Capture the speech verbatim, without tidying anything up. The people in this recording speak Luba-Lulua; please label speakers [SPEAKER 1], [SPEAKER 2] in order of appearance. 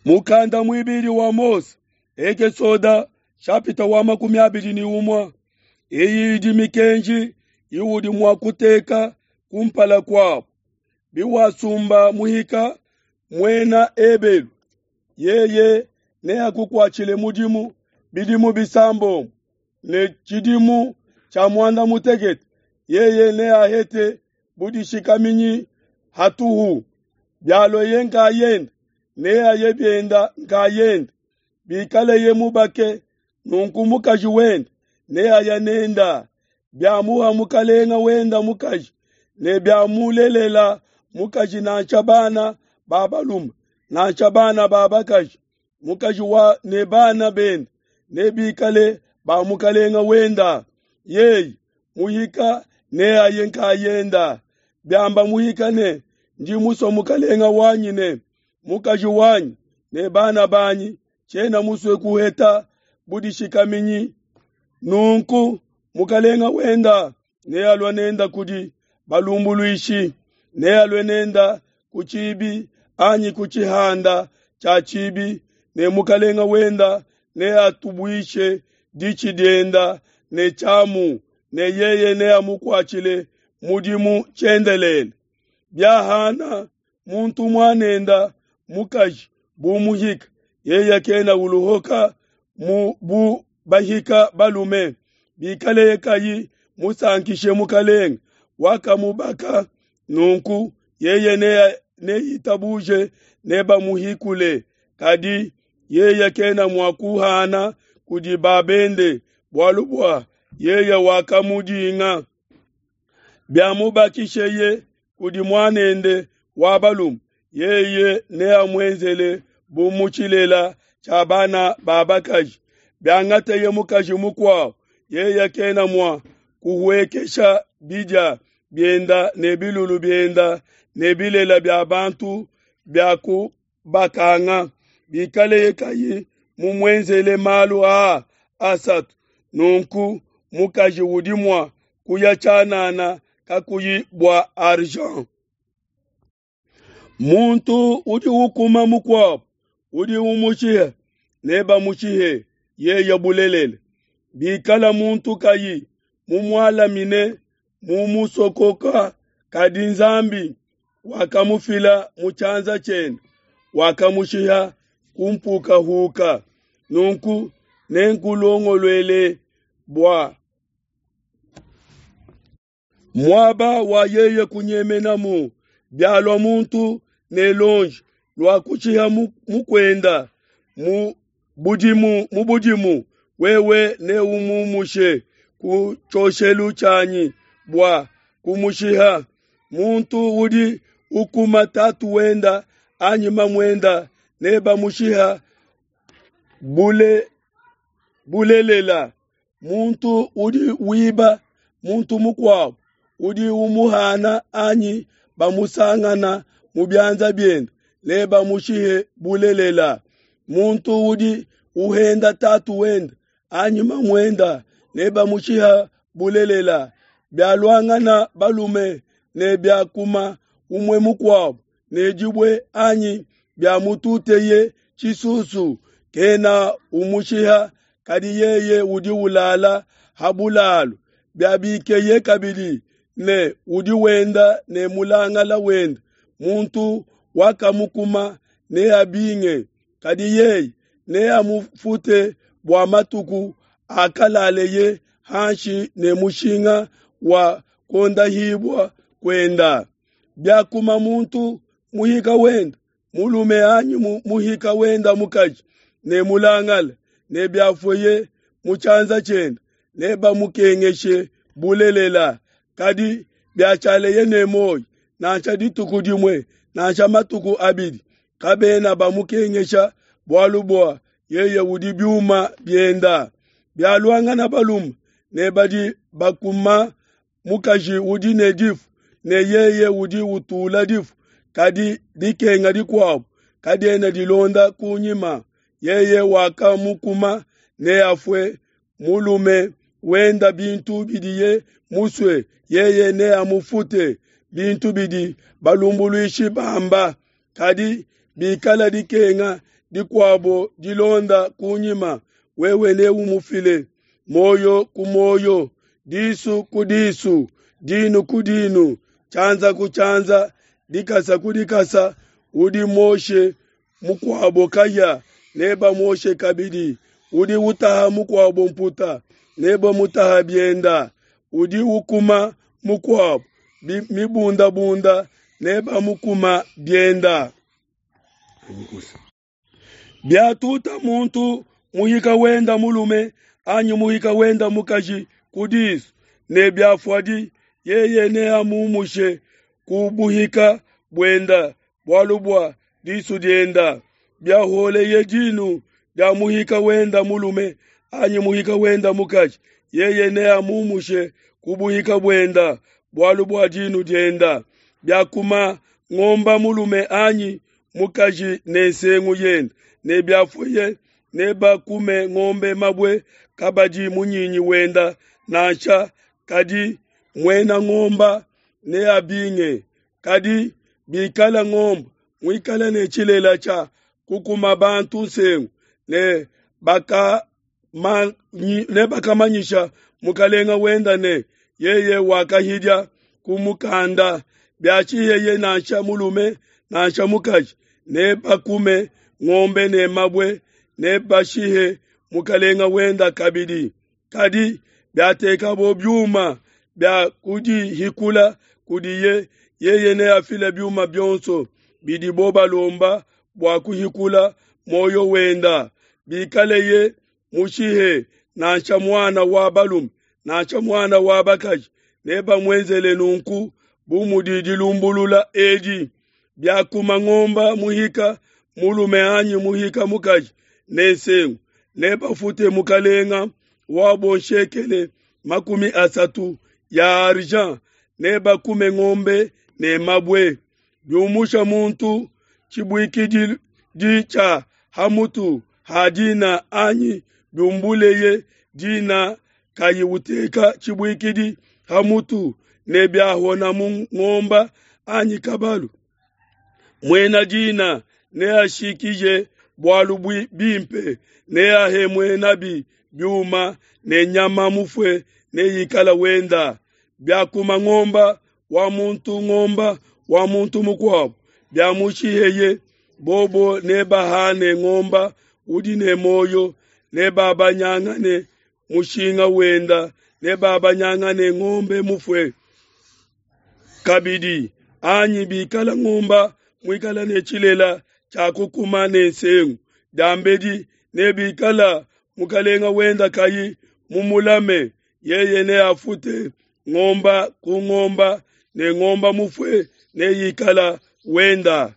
[SPEAKER 1] Mukanda muibidi wa Mose, Ekesoda shapita wa makumi abidi ne umue. Eyi idi mikenji iwudi mua kuteka kumpala kuabu. Biwasumba muhika muena Ebelu, yeye neakukuatshile mudimu bidimu bisambombo, ne tshidimu tshia muanda mutekete yeye neahete budishikaminyi hatuhu. Bialueye nkayende, neaye bienda nkayende. Bikaleye mubake, nunku mukaji wende neaya nenda. Biamuha mukalenga wenda mukaji, ne biamulelela mukaji nansha bana ba balume nansha bana ba bakaji, mukaji wa ne bana bende nebikale ba mukalenga wenda. Yeye muhika neaye nkayenda. Biamba muhika ne, ndi musue mukalenga wanyi ne mukaji wanyi ne bana banyi, tshiena musue kuheta budishikaminyi. Nunku mukalenga wenda nealue nenda kudi balumbuluishi, nealue nenda ku tshibi anyi ku tshihanda tshia tshibi, ne mukalenga wenda neatubuishe ditshi dienda ne tshiamu, ne yeye neamukuatshile mudimu tshiendelele. Biahana muntu muanenda mukaji bu muhika, yeye kena uluhoka mu bu bahika balume. Bikaleye kayi musankishe mukalenga wakamubaka, nunku yeye neitabuje nebamuhikule. Kadi yeye kena mua kuhana kudi babende, bualu bua yeye wakamudinga. Biamubakisheye kudi muanende wa balume, yeye neamuenzele bu mu tshilela tshia bana ba bakaji. Biangateye mukaji mukuabo, yeye kena mua kuhuekesha bidia bienda ne bilulu bienda ne bilela bia bantu bia kubakanga. Bikaleye kayi mumuenzele malu aa asatu, nunku mukaji udi mua kuya tshianana kakuyi bua argent. Muntu udi ukuma mukuabo udi umushiha, nebamushihe yeye bulelela. Bikala muntu kayi mumualamine mumusokoka, kadi Nzambi wakamufila mu tshianza tshiende, wakamushiha ku mpukahuka. Nunku nenkulongoluele bua muaba wa yeye kunyemenamu. Bialua muntu ne lonji lua kushiha mukuenda mu budimu, mu budimu, wewe neumumushe ku tshioshelu tshianyi bua kumushiha. Muntu udi ukuma tatu wenda anyi mamuenda nebamushiha bule bulelela. Muntu udi wiba muntu mukuabo udi umuhana anyi bamusangana mu bianza biende nebamushihe bulelela. Muntu udi uhenda tatu wenda anyi mamuenda nebamushiha bulelela. Bialuangana balume ne biakuma umue mukuabo ne dibue anyi biamututeye tshisusu, kena umushiha, kadi yeye udi ulala ha bulalu. Biabikeye kabidi ne udi wenda ne mulangala wenda, muntu wakamukuma neabinge, kadi yeye neamufute bua matuku akalaleye hanshi ne mushinga wa kuondahibua kuenda. Biakuma muntu muhika wenda mulume anyi muhika wenda mukaji ne mulangala, ne biafueye mu tshianza tshiende nebamukengeshe bulelela. Kadi biatshialeye ne muoyo nansha dituku dimue nansha matuku abidi, kabena bamukengesha, bualu bua yeye udi biuma bienda. Bialuangana balume ne badi bakuma mukaji udi ne difu, ne yeye udi utula difu, kadi dikenga dikuabo kadiena dilonda kunyima, yeye wakamukuma neafue. Mulume wenda bintu bidiye musue, yeye neamufute bintu bidi balumbuluishi bamba. Kadi bikala dikenga dikuabo dilonda kunyima, wewe neumufile, muoyo ku muoyo, disu ku disu, dinu ku dinu, tshianza ku tshianza, dikasa ku dikasa. Udi muoshe mukuabo kahia, nebamuoshe kabidi. Udi utaha mukuabo mputa, nebamutaha bienda. Udi ukuma mukuabo mibundabunda, nebamukuma bienda. Biatuta muntu muhika wenda mulume anyi muhika wenda mukaji ku disu, ne biafuadi, yeye neamumushe ku buhika buenda bualu bua disu dienda. Biaholeye dinu dia muhika wenda mulume anyi muhika wenda mukaji, yeye neamumushe ku buhika buenda bualu bua dinu dienda. Biakuma ngomba mulume anyi mukaji ne nsengu yenda, ne biafuye, nebakume ngombe mabue, kabadi munyinyi wenda nansha, kadi muena ngomba neabinge. Kadi bikala ngomba muikale ne tshilela tshia kukuma bantu nsengu, ne bakamanyisha mukalenga wenda ne yeye wakahidia kumukanda, biashiheye nansha mulume nansha mukaji, nebakume ngombe ne mabue, nebashihe mukalenga wenda kabidi. Kadi biatekabo biuma bia kudihikula kudiye, yeye neafile biuma bionso bidibo balomba bua kuhikula muoyo wenda. Bikaleye mushihe nansha muana wa balume nansha muana wa bakaji, nebamuenzele nunku bu mudi dilumbulula edi. Biakuma ngomba muhika mulume anyi muhika mukaji ne nsengu, nebafute mukalenga wabo nshekele makumi asatu ya argent, nebakume ngombe ne mabue. Biumusha muntu tshibuikidi tshia hamutu ha dina anyi biumbuleye dina kayi uteka tshibuikidi hamutu, ne biahona mu ngomba anyi kabalu, muena dina neashikije bualu bimpe, neahe muenabi biuma, ne nyama mufue neikala wenda. Biakuma ngomba wa muntu ngomba wa muntu mukuabo, biamushiheye, bobo nebahane ngomba udi ne muoyo, nebabanyangane mushinga wenda, nebabanyangane ngombe mufue kabidi. Anyi bikala ngomba muikala ne tshilela tshia kukuma ne nsengu diambedi, ne bikala mukalenga wenda kayi mumulame, yeye neafute ngomba ku ngomba, ne ngomba mufue neikala wenda.